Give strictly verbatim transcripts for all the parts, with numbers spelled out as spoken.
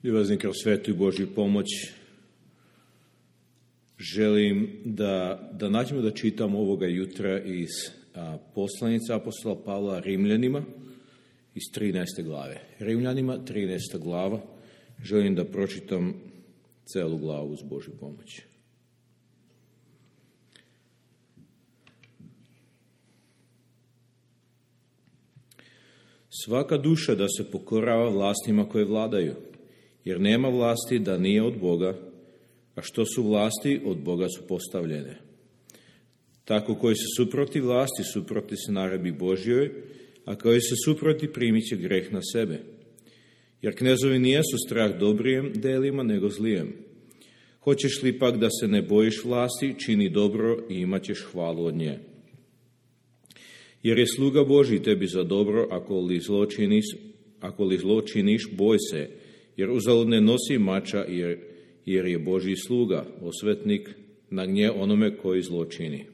Ljubazni, kroz svetu Božju pomoć želim da, da nađemo da čitam ovoga jutra iz a, poslanice apostola Pavla Rimljanima iz trinaeste glave. Rimljanima, trinaesta glava. Želim da pročitam celu glavu uz Božju pomoć. Svaka duša da se pokorava vlastima koje vladaju, jer nema vlasti da nije od Boga, a što su vlasti, od Boga su postavljene. Tako koji se suproti vlasti, suproti se naredbi Božjoj, a koji se suproti primit će greh na sebe. Jer knezovi nijesu strah dobrijem delima, nego zlijem. Hoćeš li pak da se ne bojiš vlasti, čini dobro i imat ćeš hvalu od nje. Jer je sluga Božji tebi za dobro, ako li zlo činiš, ako li zlo činiš, boj se, jer uzalud ne nosi mača, jer, jer je Božji sluga, osvetnik na gnje onome koji zlo čini.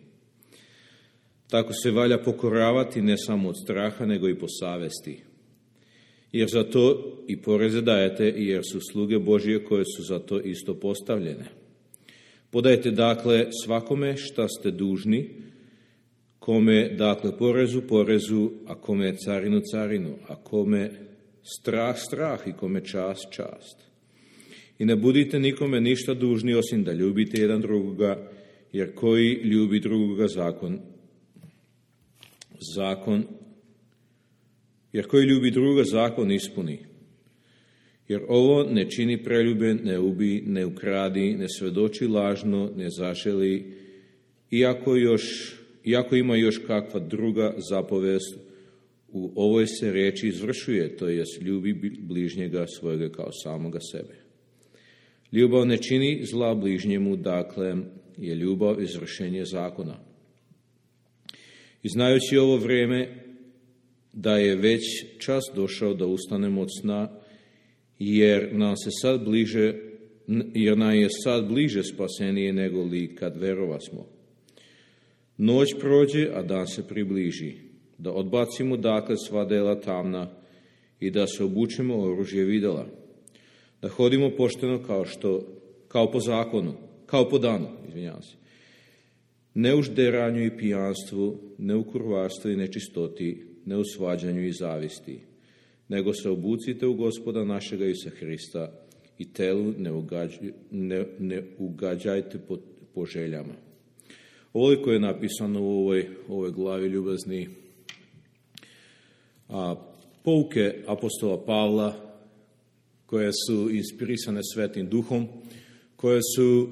Tako se valja pokoravati ne samo od straha, nego i po savesti. Jer za to i poreze dajete, jer su sluge Božje koje su za to isto postavljene. Podajte dakle svakome šta ste dužni, kome dakle porezu, porezu, a kome carinu, carinu, a kome strah, strah i kome čast, čast. I ne budite nikome ništa dužni, osim da ljubite jedan drugoga, jer koji ljubi drugoga zakon, zakon, jer koji ljubi drugoga zakon ispuni. Jer ovo ne čini preljube, ne ubi, ne ukradi, ne svedoči lažno, ne zaželi, iako još Iako ima još kakva druga zapovest, u ovoj se riječi izvršuje, to jest ljubi bližnjega svojega kao samoga sebe. Ljubav ne čini zla bližnjemu, dakle je ljubav izvršenje zakona. I znajući ovo vrijeme da je već čas došao da ustanemo od sna, jer nam se sad bliže, jer nam je sad bliže spasenije nego li kad verovasmo. Noć prođe, a dan se približi, da odbacimo dakle sva dela tamna i da se obučemo oružje videla, da hodimo pošteno kao što, kao po zakonu, kao po danu, izvinjavam se, ne u žderanju i pijanstvu, ne u kurvarstvu i nečistoti, ne u svađanju i zavisti, nego se obucite u Gospoda našega Isusa Hrista i telu ne, ugađ, ne, ne ugađajte po, po željama. Ovoliko je napisano u ovoj, ovoj glavi, ljubazni, a, pouke apostola Pavla, koje su inspirisane Svetim Duhom, koje su,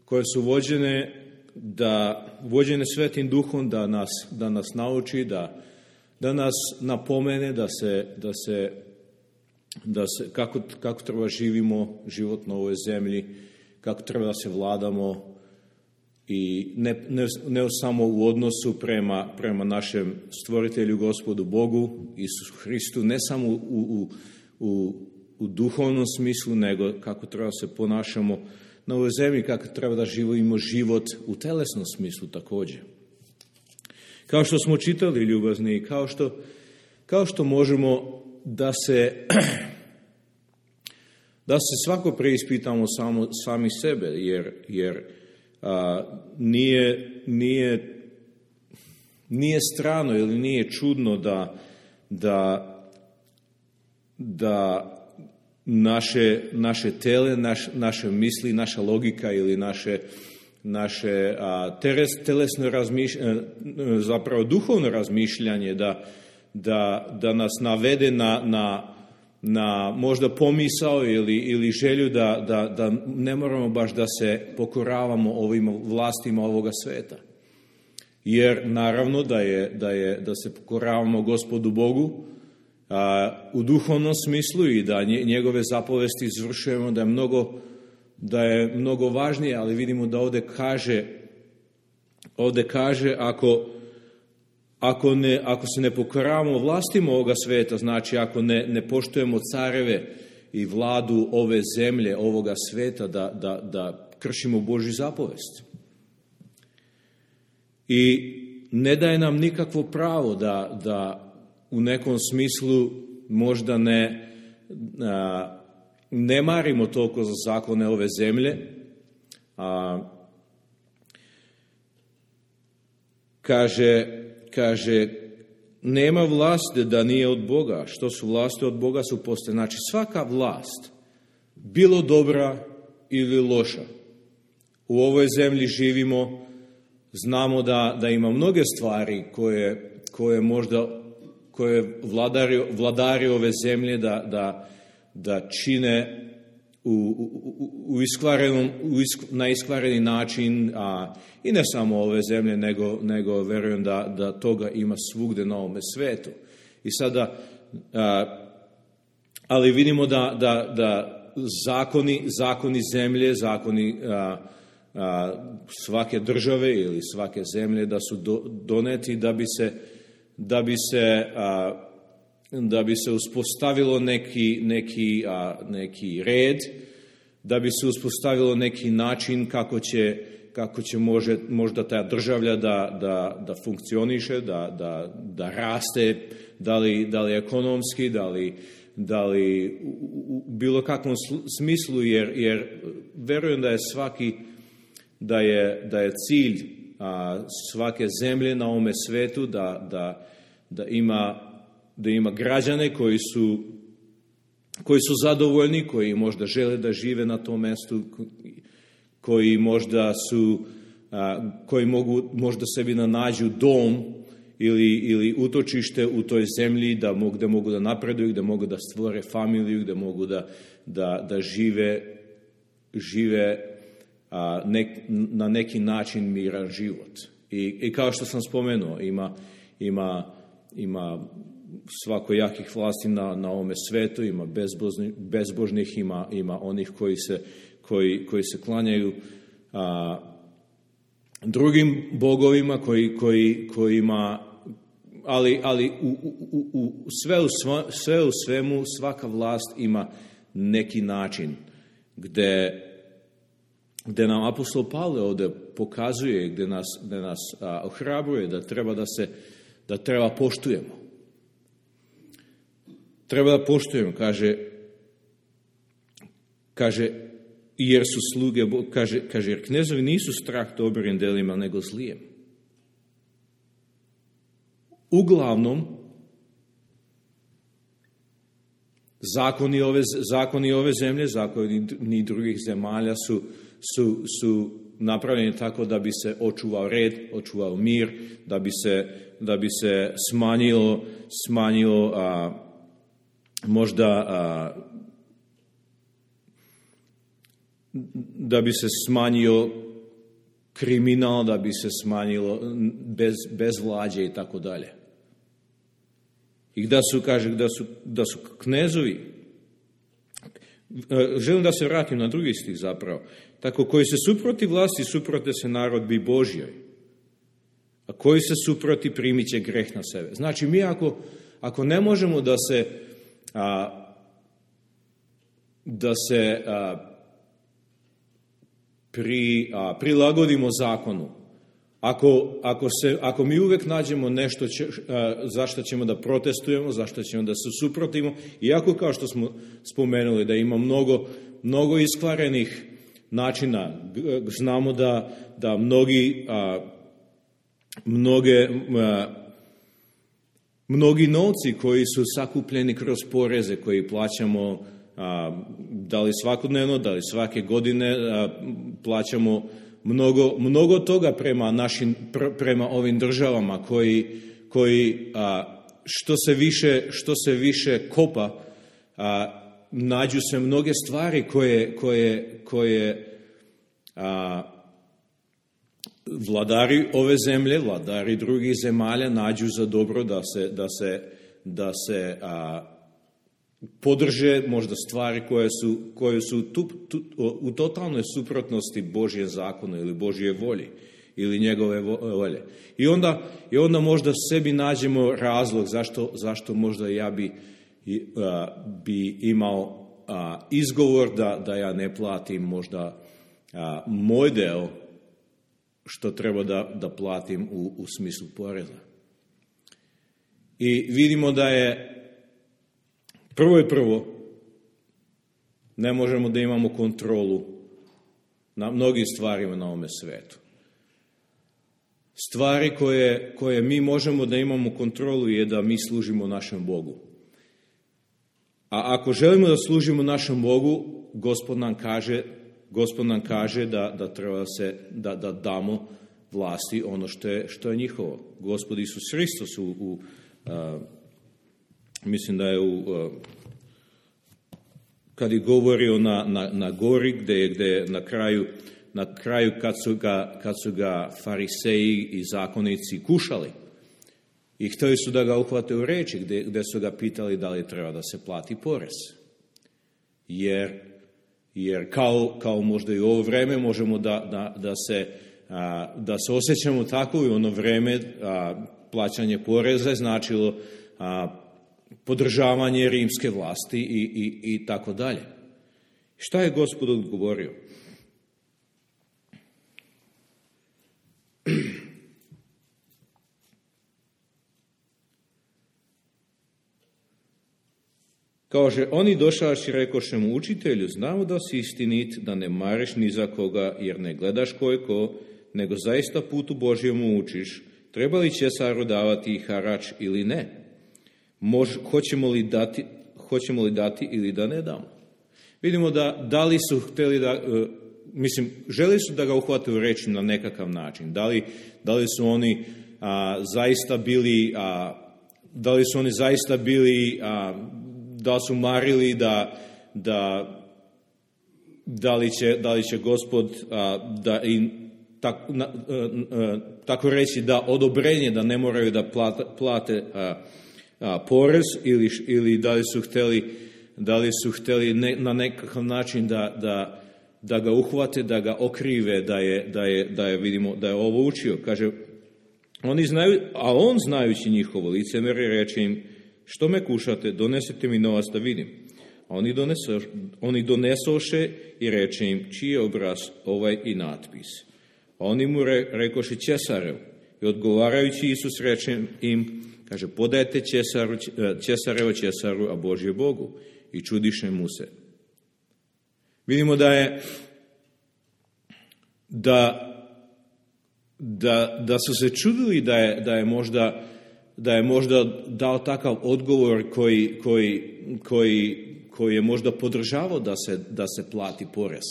koje su vođene, da, vođene Svetim Duhom da nas, da nas nauči, da, da nas napomene, da se, da se, da se kako, kako treba živimo život na ovoj zemlji, kako treba da se vladamo, i ne, ne, ne samo u odnosu prema, prema našem stvoritelju, Gospodu Bogu, Isusu Hristu, ne samo u, u, u, u duhovnom smislu, nego kako treba se ponašamo na ovoj zemlji, kako treba da živimo život u telesnom smislu također. Kao što smo čitali, ljubazni, kao što, kao što možemo da se, da se svako preispitamo samo, sami sebe, jer, jer A, nije, nije, nije strano ili nije čudno da, da, da naše, naše tele, naš, naše misli, naša logika ili naše, naše a, teres, telesno razmišljanje, zapravo duhovno razmišljanje da, da, da nas navede na, na na možda pomisao ili, ili želju da, da, da ne moramo baš da se pokoravamo ovim vlastima ovoga sveta. Jer naravno da, je, da, je, da se pokoravamo Gospodu Bogu a, u duhovnom smislu i da njegove zapovesti izvršujemo, da je mnogo, da je mnogo važnije, ali vidimo da ovdje kaže, ovdje kaže ako Ako, ne, ako se ne pokoravamo vlastima ovoga sveta, znači ako ne, ne poštujemo careve i vladu ove zemlje, ovoga sveta, da, da, da kršimo Božju zapovest. I ne daje nam nikakvo pravo da, da u nekom smislu možda ne, a, ne marimo toliko za zakone ove zemlje. A, kaže, kaže, nema vlasti da nije od Boga. Što su vlasti od Boga su postoje. Znači, svaka vlast, bilo dobra ili loša, u ovoj zemlji živimo, znamo da, da ima mnoge stvari koje, koje možda koje vladari, vladari ove zemlje da, da, da čine u, u, u iskvarenom, u isk, na iskvareni način, a i ne samo ove zemlje, nego, nego verujem da, da toga ima svugde na ovome svetu. I sada, a, ali vidimo da, da, da zakoni, zakoni zemlje, zakoni a, a, svake države ili svake zemlje da su do, doneti da bi se da bi se a, da bi se uspostavilo neki neki a, neki red, da bi se uspostavilo neki način kako će kako će može, možda ta država da, da, da funkcioniše, da, da, da raste, da li, da li ekonomski, da li, da li u, u bilo kakvom smislu, jer, jer verujem da je svaki, da je, da je cilj a, svake zemlje na ovome svetu da, da, da, ima, da ima građane koji su, koji su zadovoljni, koji možda žele da žive na tom mestu, koji možda su, a, koji mogu možda sebi nađu dom ili, ili utočište u toj zemlji, da mogu da, mogu da napreduju, da mogu da stvore familiju, da mogu da, da, da žive, žive a, nek, na neki način miran život. I, i kao što sam spomenuo, ima, ima, ima svakojakih vlasti na, na ovome svetu, ima bezbožnih, bezbožnih ima, ima onih koji se Koji, koji se klanjaju a, drugim bogovima, koji, koji, kojima, ali, ali u, u, u, sve, u sva, sve u svemu svaka vlast ima neki način gde, gde nam apostol Pavle ovde pokazuje, gde nas, gde nas a, ohrabruje da treba da se da treba poštujemo. Treba da poštujemo, kaže, kaže jer su sluge, kaže, kaže, jer knezovi nisu strah dobrim delima, nego zlijem. Uglavnom, zakoni ove, zakoni ove zemlje, zakoni drugih zemalja su, su, su napravljeni tako da bi se očuvao red, očuvao mir, da bi se, da bi se smanjilo, smanjilo a, možda a, da bi se smanjio kriminal, da bi se smanjilo bez, bezvlađe i tako dalje. I da su, kaže, da su, da su knezovi, želim da se vratim na drugi stih zapravo, tako koji se suproti vlasti, suprote se narodbi Božjoj, a koji se suproti primit će greh na sebe. Znači, mi ako, ako ne možemo da se a, da se a, Pri, a, prilagodimo zakonu. Ako, ako, se, ako mi uvek nađemo nešto će, a, zašto ćemo da protestujemo, zašto ćemo da se suprotimo, iako kao što smo spomenuli da ima mnogo, mnogo iskvarenih načina, znamo da, da mnogi, a, mnoge, a, mnogi novci koji su sakupljeni kroz poreze, koji plaćamo A, da li svakodnevno, da li svake godine a, plaćamo mnogo, mnogo toga prema našim, pr, prema ovim državama koji, koji a, što se više, što se više kopa, a, nađu se mnoge stvari koje, koje, koje a, vladari ove zemlje, vladari drugih zemalja nađu za dobro da se, da se, da se a, podrže možda stvari koje su, koje su tu, tu, u totalnoj suprotnosti Božje zakonu ili Božje volji ili njegove volje. I onda, i onda možda sebi nađemo razlog zašto, zašto možda ja bi, a, bi imao a, izgovor da, da ja ne platim možda a, moj deo što treba da, da platim u, u smislu poreza. I vidimo da je prvo i prvo Ne možemo da imamo kontrolu na mnogim stvarima na ovome svetu. Stvari koje, koje mi možemo da imamo kontrolu je da mi služimo našem Bogu. A ako želimo da služimo našem Bogu, Gospod nam kaže, Gospod nam kaže da, da treba se, da, da damo vlasti ono što je, što je njihovo. Gospod Isus Hristos u, u a, mislim da je u a, kad je govorio na, na, na gori, gde, gde na kraju, na kraju kad su ga, kad su ga fariseji i zakonici kušali i hteli su da ga uhvate u reči, gde, gde su ga pitali da li treba da se plati porez. Jer, jer kao, kao možda i u ovo vreme možemo da, da, da, se, a, da se osjećamo tako i ono vreme a, plaćanje poreza je značilo a, podržavanje rimske vlasti i, i, i tako dalje. Šta je Gospod odgovorio? Kaže, oni došavši rekoše mu, učitelju, znamo da si istinit, da ne mareš ni za koga, jer ne gledaš ko je ko, nego zaista putu Božjemu učiš, treba li Cesaru davati harač ili ne? Mož, hoćemo, li dati, hoćemo li dati ili da ne damo? Vidimo da, da li su hteli da, uh, mislim, želi su da ga uhvate u reč na nekakav način. Da li, da li su oni a, zaista bili, a, da li su oni zaista bili, a, da su marili da, da, da, li, će, da li će Gospod a, da im tak, na, a, a, tako reći da odobrenje da ne moraju da plate, plate a, a, porez ili, ili da li su hteli, da li su hteli ne, na nekakav način da, da, da ga uhvate, da ga okrive, da je, da je, da je, vidimo, da je ovo učio. Kaže, oni znaju, a on znajući njihovo licemerje reče im, što me kušate, donesite mi novac da vidim. A oni, doneso, oni donesoše i reče im, čiji je obraz ovaj i natpis. A oni mu re, rekoše Cesarev. I odgovarajući Isus reče im, kaže, podajte Cesaru, Cesarevo Cesaru, a Božje Bogu. I čudiše mu se. Vidimo da je da, da, da su se čudili da je, da je možda da je možda dao takav odgovor koji, koji, koji, koji je možda podržavao da se, da se plati porez.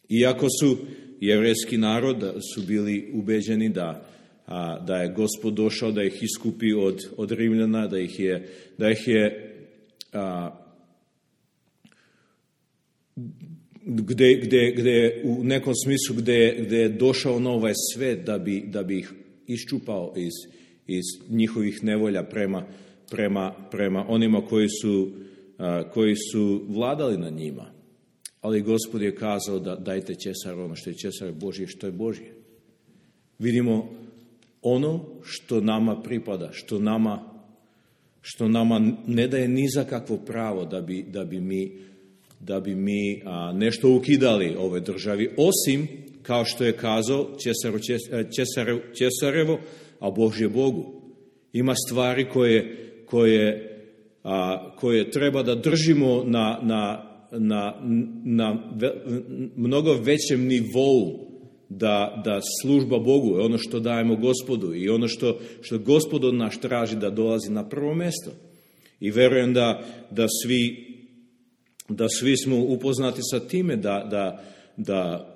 Iako su jevrejski narod su bili ubeđeni da, a, da je Gospod došao da ih iskupi od, od Rimljana, da ih je, da ih je a, gde, gde, gde u nekom smislu gde, gde je došao na ovaj svet da bi, da bi ih iščupao iz iz njihovih nevolja prema, prema, prema onima koji su, a, koji su vladali na njima. Ali Gospod je kazao da dajte Cesaru ono što je Cesar Božje, što je Božje. Vidimo ono što nama pripada, što nama, što nama ne daje ni za kakvo pravo da bi, da bi mi, da bi mi a, nešto ukidali ovoj državi, osim, kao što je kazao Cesaru, Cesarev, Cesarevo, a Božje Bogu. Ima stvari koje, koje, a, koje treba da držimo na, na, na, na ve, mnogo većem nivou da, da služba Bogu je ono što dajemo Gospodu i ono što, što Gospod od nas traži da dolazi na prvo mesto. I verujem da, da, svi, da svi smo upoznati sa time da, da, da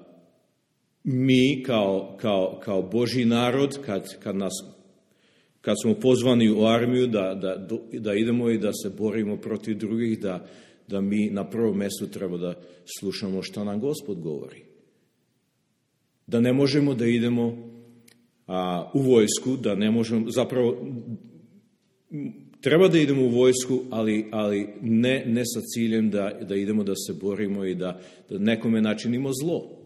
mi kao, kao, kao Božji narod, kad, kad, nas, kad smo pozvani u armiju da, da, da idemo i da se borimo protiv drugih, da, da mi na prvom mjestu treba da slušamo što nam Gospod govori. Da ne možemo da idemo a, u vojsku, da ne možemo, zapravo treba da idemo u vojsku, ali, ali ne, ne sa ciljem da, da idemo da se borimo i da, da nekome načinimo zlo.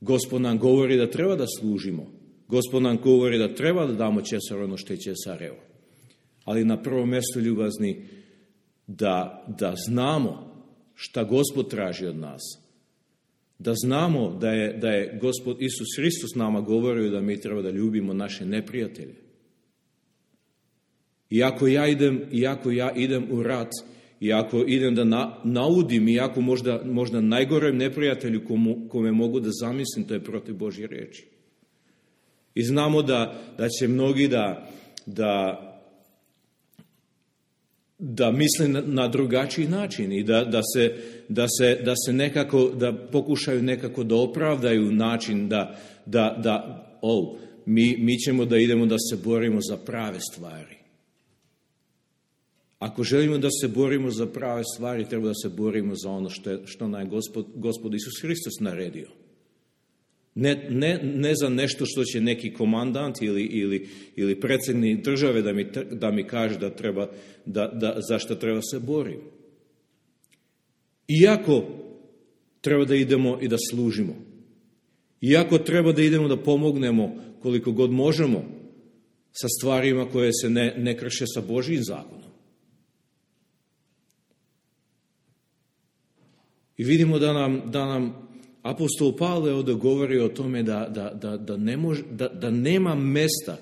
Gospod nam govori da treba da služimo. Gospod nam govori da treba da damo Cesaru ono što je Cesarevo. Ali na prvom mjestu, ljubazni, da, da znamo šta Gospod traži od nas. Da znamo da je, da je Gospod Isus Hristos nama govorio da mi treba da ljubimo naše neprijatelje. Iako ja idem, iako ja idem u rat, i ako idem da na, naudim, iako možda, možda najgorem neprijatelju komu, kome mogu da zamislim, to je protiv Božje riječi. I znamo da, da će mnogi da, da, da misle na, na drugačiji način i da, da, se, da, se, da se nekako, da pokušaju nekako da opravdaju način da, da, da oh, mi, mi ćemo da idemo da se borimo za prave stvari. Ako želimo da se borimo za prave stvari, treba da se borimo za ono što, je, što nam je Gospod, Gospod Isus Hristos naredio. Ne, ne, ne za nešto što će neki komandant ili, ili, ili predsjednik države da mi, da mi kaže da treba, da, da, za što treba se boriti. Iako treba da idemo i da služimo. Iako treba da idemo da pomognemo koliko god možemo sa stvarima koje se ne, ne krše sa Božjim zakonom. I vidimo da nam, da nam apostol Pavle ovdje govori o tome da, da, da, da, ne može, da, da nema mesta,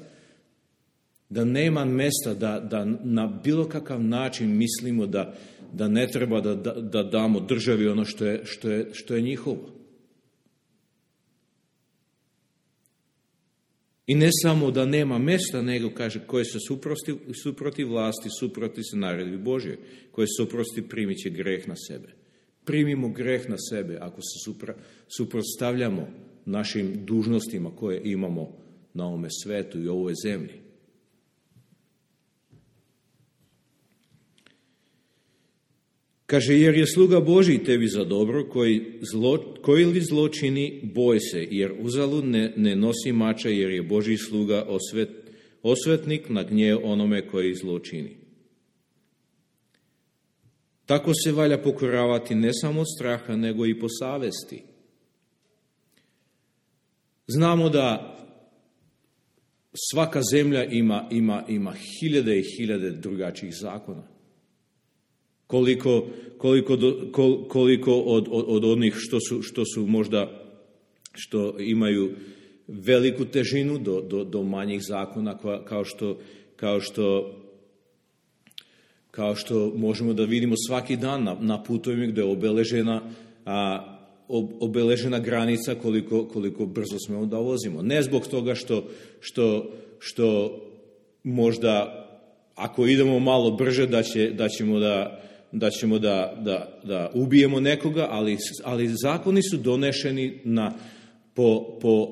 da nema mesta da, da na bilo kakav način mislimo da, da ne treba da, da, da damo državi ono što je, što je, što je njihovo. I ne samo da nema mesta, nego kaže koje se suprosti, suproti vlasti, suproti se naredbi Božje, koje se suprosti primit će greh na sebe. Primimo greh na sebe ako se supra, suprotstavljamo našim dužnostima koje imamo na ovome svetu i ovoj zemlji. Kaže, jer je sluga Božji tebi za dobro, koji, zlo, koji li zločini, boj se, jer uzalud ne, ne nosi mača, jer je Božji sluga osvet, osvetnik na gnjev onome koji zločini. Tako se valja pokoravati ne samo od straha, nego i po savesti. Znamo da svaka zemlja ima, ima, ima hiljade i hiljade drugačijih zakona. Koliko, koliko, do, kol, koliko od, od, od onih što su, što su možda, što imaju veliku težinu do, do, do manjih zakona, kao što, kao što Kao što možemo da vidimo svaki dan na, na putovima gdje je obeležena, a, obeležena granica koliko, koliko brzo smemo da vozimo. Ne zbog toga što, što, što možda ako idemo malo brže da, će, da ćemo, da, da, ćemo da, da, da ubijemo nekoga, ali, ali zakoni su donešeni na, po, po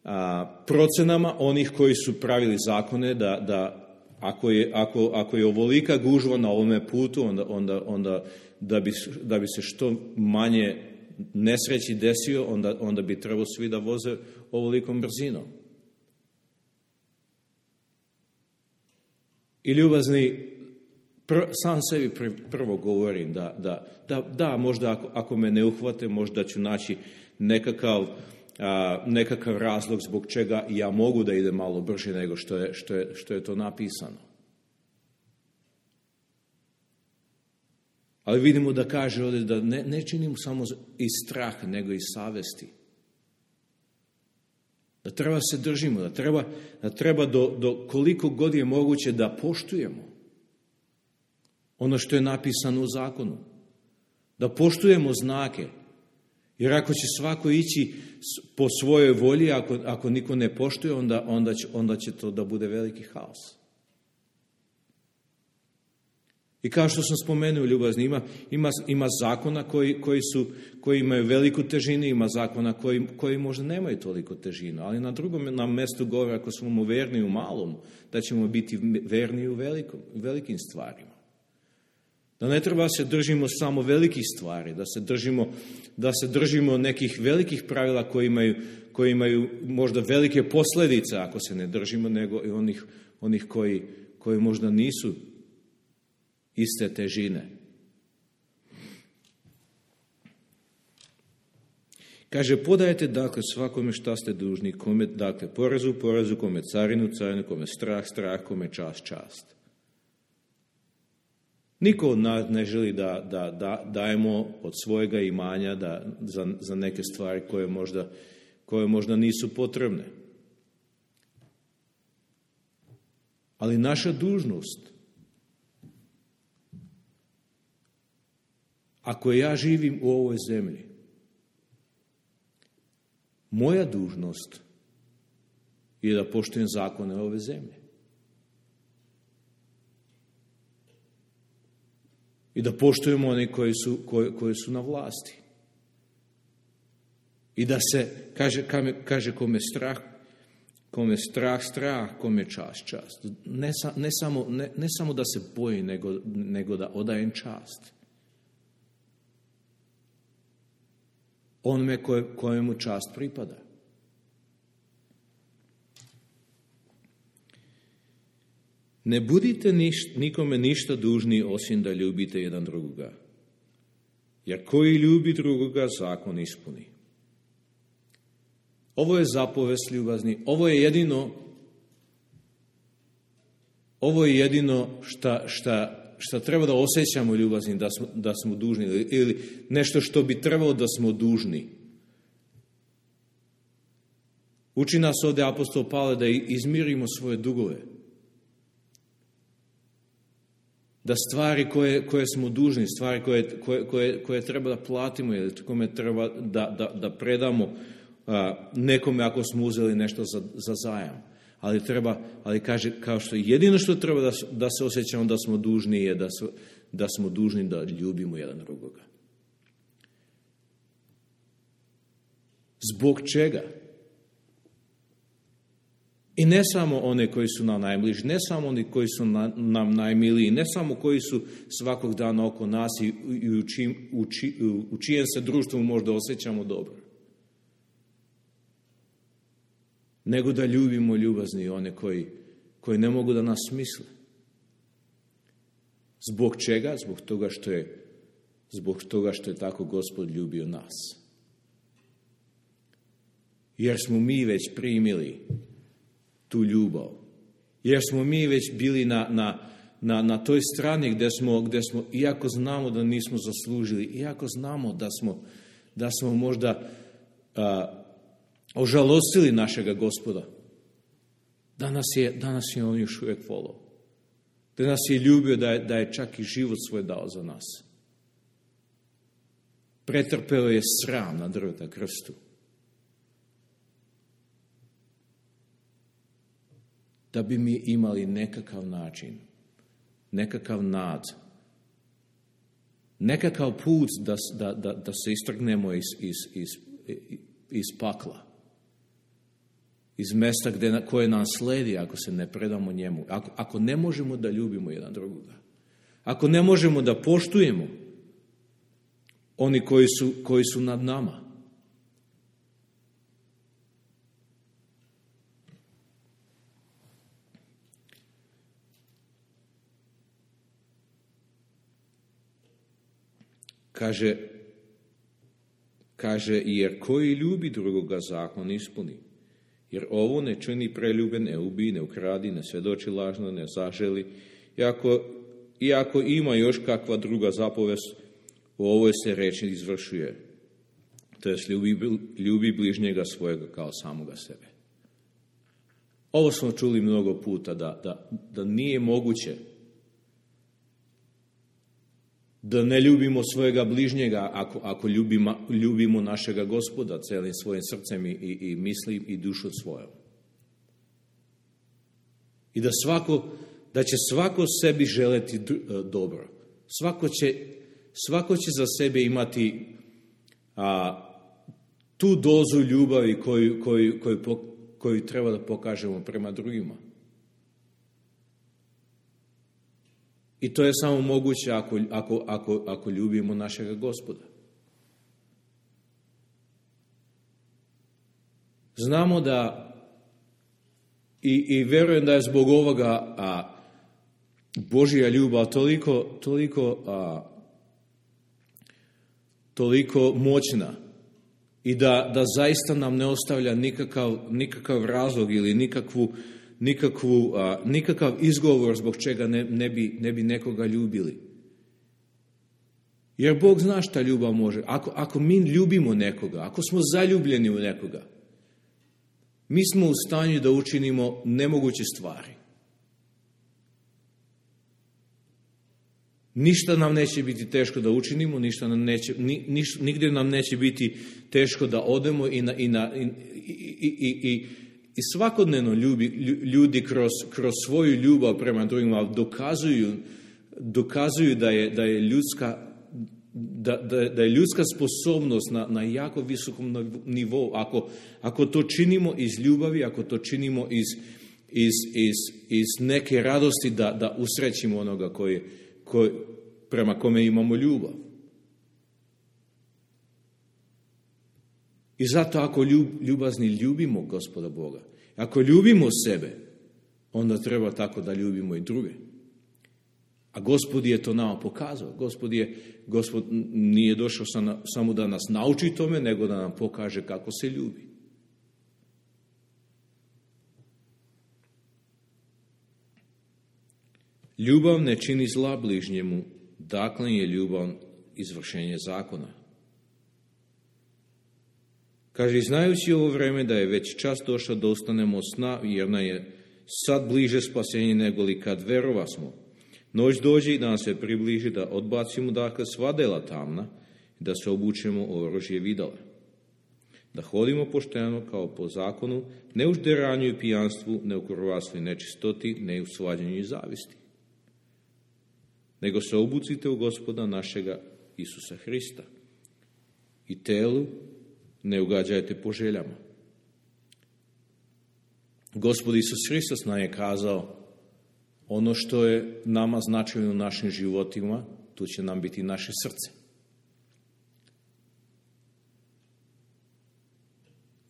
a, procenama onih koji su pravili zakone da, da Ako je, ako, ako je ovolika gužva na ovome putu, onda, onda, onda da, bi, da bi se što manje nesreći desio, onda, onda bi trebalo svi da voze ovolikom brzinom. I ljubazni, pr, sam sebi pr, prvo govorim da, da, da, da možda ako, ako me ne uhvate, možda ću naći nekakav, a, nekakav razlog zbog čega ja mogu da idem malo brže nego što je, što je, što je to napisano. Ali vidimo da kaže ovdje da ne, ne činimo samo iz straha, nego iz savesti. Da treba se držimo, da treba, da treba do, do koliko god je moguće da poštujemo ono što je napisano u zakonu. Da poštujemo znake. Jer ako će svako ići po svojoj volji, ako, ako niko ne poštuje, onda, onda, će, onda će to da bude veliki haos. I kao što sam spomenuo, ljubazni, ima, ima, ima zakona koji, koji, su, koji imaju veliku težinu, ima zakona koji, koji možda nemaju toliko težinu, ali na drugom nam mjestu govori, ako smo verni u malom, da ćemo biti verni u velikom, velikim stvarima. Da ne treba se držimo samo velikih stvari, da se držimo, da se držimo nekih velikih pravila koji imaju, koji imaju možda velike posljedice ako se ne držimo, nego i onih, onih koji, koji možda nisu iste težine. Kaže, podajte dakle svakome šta ste dužni, kome dakle porezu, porezu, kome carinu, carinu, kome strah, strah, kome čast, čast. Niko od nas ne želi da, da, da dajemo od svojega imanja da, za, za neke stvari koje možda, koje možda nisu potrebne. Ali naša dužnost ako ja živim u ovoj zemlji, moja dužnost je da poštujem zakone ove zemlje. I da poštujemo oni koji su, koji, koji su na vlasti. I da se, kaže, kaže kome strah, kome strah, strah, kome čast, čast. Ne, ne, samo, ne, ne samo da se boji, nego, nego da odajem čast. Onome koje, kojemu čast pripada. Ne budite niš, nikome ništa dužni osim da ljubite jedan drugoga. Jer koji ljubi drugoga, zakon ispuni. Ovo je zapovest ljubazni. Ovo je jedino ovo je jedino šta, šta, šta treba da osjećamo ljubazni, da smo, da smo dužni. Ili nešto što bi trebalo da smo dužni. Uči nas ovdje apostol Pavle da izmirimo svoje dugove. Da stvari koje, koje smo dužni, stvari koje, koje, koje, koje treba da platimo ili kome treba da, da, da predamo a, nekome ako smo uzeli nešto za, za zajam. Ali treba, ali kaže, kao što jedino što treba da, da se osjećamo da smo dužni je da, su, da smo dužni da ljubimo jedan drugoga. Zbog čega? I ne samo one koji su nam najbliži, ne samo oni koji su na, nam najmiliji, ne samo koji su svakog dana oko nas i, i u, čim, u, či, u čijem se društvu možda osjećamo dobro. Nego da ljubimo ljubazni one koji, koji ne mogu da nas misle. Zbog čega? Zbog toga što je, zbog toga što je tako Gospod ljubio nas. Jer smo mi već primili tu ljubav. Jer smo mi već bili na, na, na, na toj strani gdje smo, gdje smo, iako znamo da nismo zaslužili, iako znamo da smo, da smo možda a, ožalostili našega Gospoda, danas je, danas je on još uvijek volao. Da nas je ljubio, da je, da je čak i život svoj dao za nas. Pretrpeo je sram na drveta krstu. Da bi mi imali nekakav način, nekakav nad, nekakav put da, da, da, da se istrgnemo iz, iz, iz, iz pakla, iz mesta gdje, koje nam sledi ako se ne predamo njemu, ako, ako ne možemo da ljubimo jedan drugoga, ako ne možemo da poštujemo oni koji su, koji su nad nama. Kaže, kaže, jer koji ljubi drugoga zakon ispuni. Jer ovo ne čini preljube, ne ubi, ne ukradi, ne svjedoči lažno, ne zaželi. Iako, iako ima još kakva druga zapovest, u ovoj se reči izvršuje. To jest ljubi, ljubi bližnjega svojega kao samoga sebe. Ovo smo čuli mnogo puta, da, da, da nije moguće da ne ljubimo svojega bližnjega ako, ako ljubimo, ljubimo našega Gospoda celim svojim srcem i, i, i misli i dušu svojom. I da svako, da će svako sebi želeti dobro. Svako će, svako će za sebe imati a, tu dozu ljubavi koju, koju, koju, koju treba da pokažemo prema drugima. I to je samo moguće ako, ako, ako, ako ljubimo našega Gospoda. Znamo da i, i vjerujem da je zbog ovoga a, Božja ljubav toliko, toliko, a, toliko moćna i da, da zaista nam ne ostavlja nikakav, nikakav razlog ili nikakvu Nikakvu, a, nikakav izgovor zbog čega ne, ne, bi, ne bi nekoga ljubili. Jer Bog zna šta ljubav može. Ako, ako mi ljubimo nekoga, ako smo zaljubljeni u nekoga, mi smo u stanju da učinimo nemoguće stvari. Ništa nam neće biti teško da učinimo, ništa nam neće, ni, niš, nigdje nam neće biti teško da odemo i, na, i, na, i, i, i, i, i svakodnevno ljubi, ljudi kroz, kroz svoju ljubav prema drugima dokazuju, dokazuju da je, da je ljudska Da, da, da je ljudska sposobnost na, na jako visokom nivou. Ako, ako to činimo iz ljubavi, ako to činimo iz, iz, iz, iz neke radosti da, da usrećimo onoga koji, koji, prema kome imamo ljubav. I zato ako ljub, ljubazni ljubimo Gospoda Boga, ako ljubimo sebe, onda treba tako da ljubimo i druge. A Gospod je to nama pokazao. Gospod, je, Gospod nije došao samo da nas nauči tome, nego da nam pokaže kako se ljubi. Ljubav ne čini zla bližnjemu, dakle je ljubav izvršenje zakona. Kaže, znajući ovo vreme da je već čas došao da ostanemo sna, jer nam je sad bliže spasenje nego li kad verova smo. Noć dođe i da nam se približi da odbacimo dakle sva dela tamna i da se obučemo u oružje videla. Da hodimo pošteno kao po zakonu, ne u žderanju i pijanstvu, ne u krvarstvu i nečistoti, ne u svađanju i zavisti. Nego se obucite u Gospoda našega Isusa Hrista i telu ne ugađajte po željama. Gospod Isus Hristos nam je kazao, ono što je nama značajno u našim životima, tu će nam biti naše srce.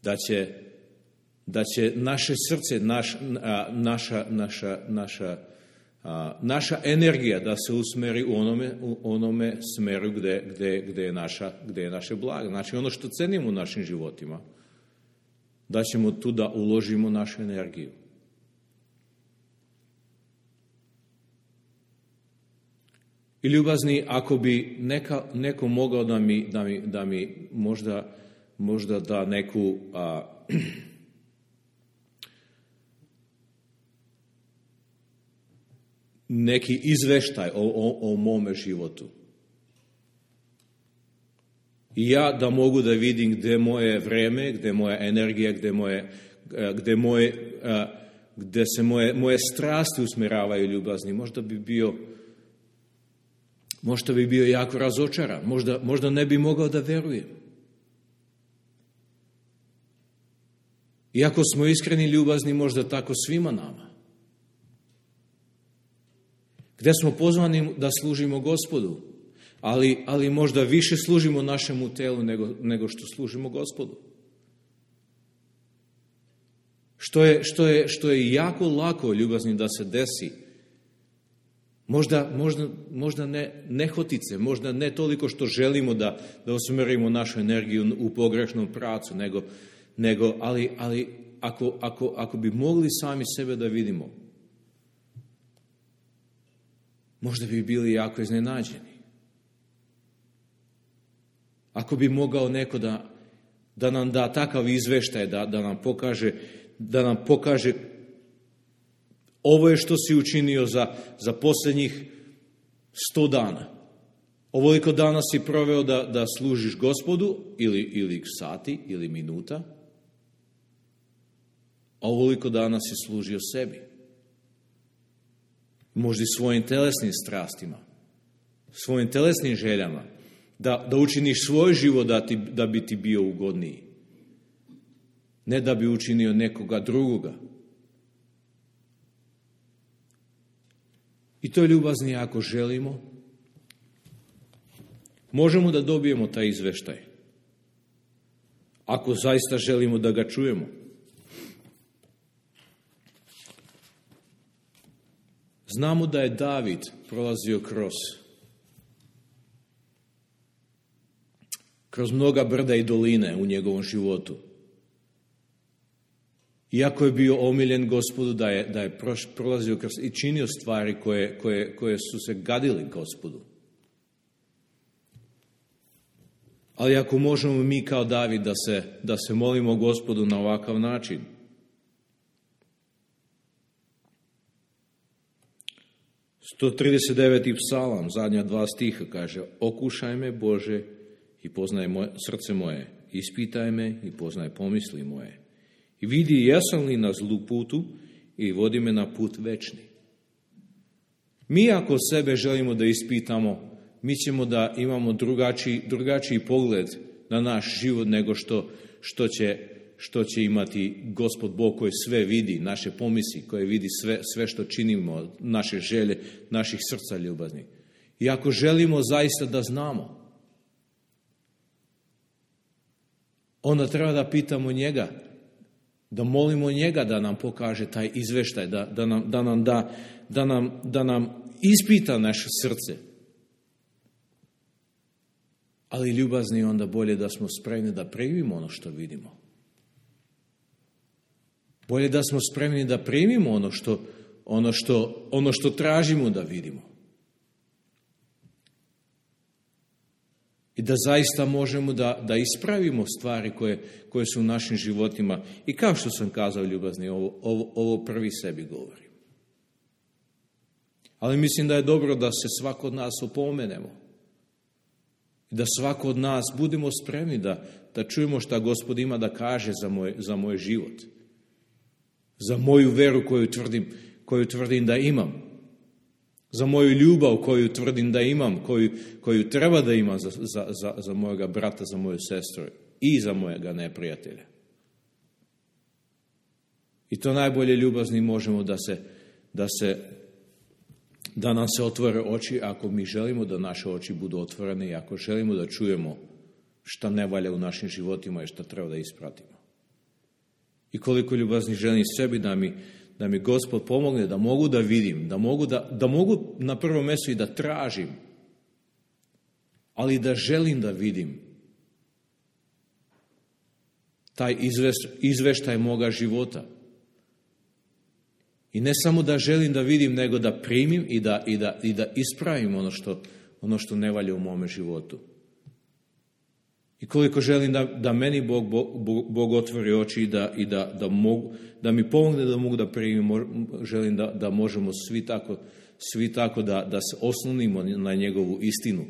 Da će, da će naše srce, naš, a, naša, naša, naša, a, naša energija da se usmeri u onome, u onome smeru gde, gde, gde, je naša, gde je naše blago. Znači ono što cenimo u našim životima, da ćemo tu da uložimo našu energiju. I ljubazni, ako bi neka, neko mogao da mi, da mi, da mi možda, možda da neku a, neki izveštaj o, o, o mome životu. I ja da mogu da vidim gde moje vreme, gde moja energija, gde, moje, gde, moje, gde se moje, moje strasti usmeravaju ljubazni, možda bi bio Možda bi bio jako razočaran, možda, možda ne bi mogao da verujem. Iako smo iskreni ljubazni, možda tako svima nama. Gde smo pozvani da služimo Gospodu, ali, ali možda više služimo našemu telu nego, nego što služimo Gospodu. Što je, što je, što je jako lako ljubazni da se desi. Možda, možda, možda ne nehotice, možda ne toliko što želimo da, da usmerimo našu energiju u pogrešnom pravcu, nego, nego ali, ali ako, ako, ako bi mogli sami sebe da vidimo, možda bi bili jako iznenađeni. Ako bi mogao neko da, da nam da takav izveštaj, da, da nam pokaže, da nam pokaže ovo je što si učinio za, za posljednjih sto dana. Ovoliko dana si proveo da, da služiš Gospodu, ili, ili sati, ili minuta, a ovoliko dana si služio sebi. Možda i svojim telesnim strastima, svojim telesnim željama, da, da učiniš svoj život da, ti, da bi ti bio ugodniji. Ne da bi učinio nekoga drugoga. I to je ljubazni ako želimo. Možemo da dobijemo taj izveštaj. Ako zaista želimo da ga čujemo. Znamo da je David prolazio kroz kroz mnoga brda i doline u njegovom životu. Iako je bio omiljen Gospodu, da je, da je prolazio kroz i činio stvari koje, koje, koje su se gadili Gospodu. Ali ako možemo mi kao David da se, da se molimo Gospodu na ovakav način, sto trideset deveti psalam, zadnja dva stiha, kaže: okušaj me, Bože, i poznaj moje, srce moje, ispitaj me i poznaj pomisli moje. I vidi jesam li na zlu putu i vodi me na put večni. Mi ako sebe želimo da ispitamo, mi ćemo da imamo drugačiji, drugačiji pogled na naš život nego što, što, će, što će imati Gospod Bog koji sve vidi, naše pomisli, koji vidi sve, sve što činimo, naše želje, naših srca ljubaznih. I ako želimo zaista da znamo, onda treba da pitamo njega, da molimo njega da nam pokaže taj izveštaj, da, da, nam, da, nam, da, da, nam, da nam ispita naše srce. Ali ljubazni, onda bolje da smo spremni da primimo ono što vidimo. Bolje da smo spremni da primimo ono što, ono što, ono što tražimo da vidimo. I da zaista možemo da, da ispravimo stvari koje, koje su u našim životima. I kao što sam kazao, ljubazni, ovo, ovo, ovo prvi sebi govorim. Ali mislim da je dobro da se svako od nas opomenemo. I da svako od nas budemo spremni da, da čujemo šta Gospod ima da kaže za moj, za moj život. Za moju veru koju tvrdim, koju tvrdim da imam. Za moju ljubav koju tvrdim da imam, koju, koju treba da imam za, za, za, za mojega brata, za moju sestru i za mojega neprijatelja. I to najbolje, ljubazni, možemo da se, da se, da nam se otvore oči ako mi želimo da naše oči budu otvorene i ako želimo da čujemo šta ne valja u našim životima i šta treba da ispratimo. I koliko, ljubazni, želim sebi da mi da mi Gospod pomogne da mogu da vidim, da mogu, da, da mogu na prvom mjestu i da tražim, ali da želim da vidim taj izveštaj, izveštaj moga života. I ne samo da želim da vidim, nego da primim i da, i da, i da ispravim ono što, ono što ne valja u mome životu. I koliko želim da, da meni Bog, Bog, Bog otvori oči i, da, i da, da, mogu, da mi pomogne da mogu da primim, želim da, da možemo svi tako, svi tako da, da se oslonimo na njegovu istinu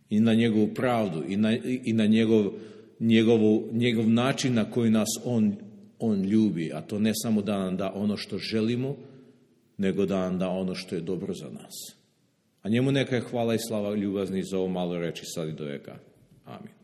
i na njegovu pravdu i na, i na njegov, njegovu, njegov način na koji nas on, on ljubi. A to ne samo da nam da ono što želimo, nego da nam da ono što je dobro za nas. A njemu neka je hvala i slava, ljubazni, za ovo malo reči sad i do veka. Amin.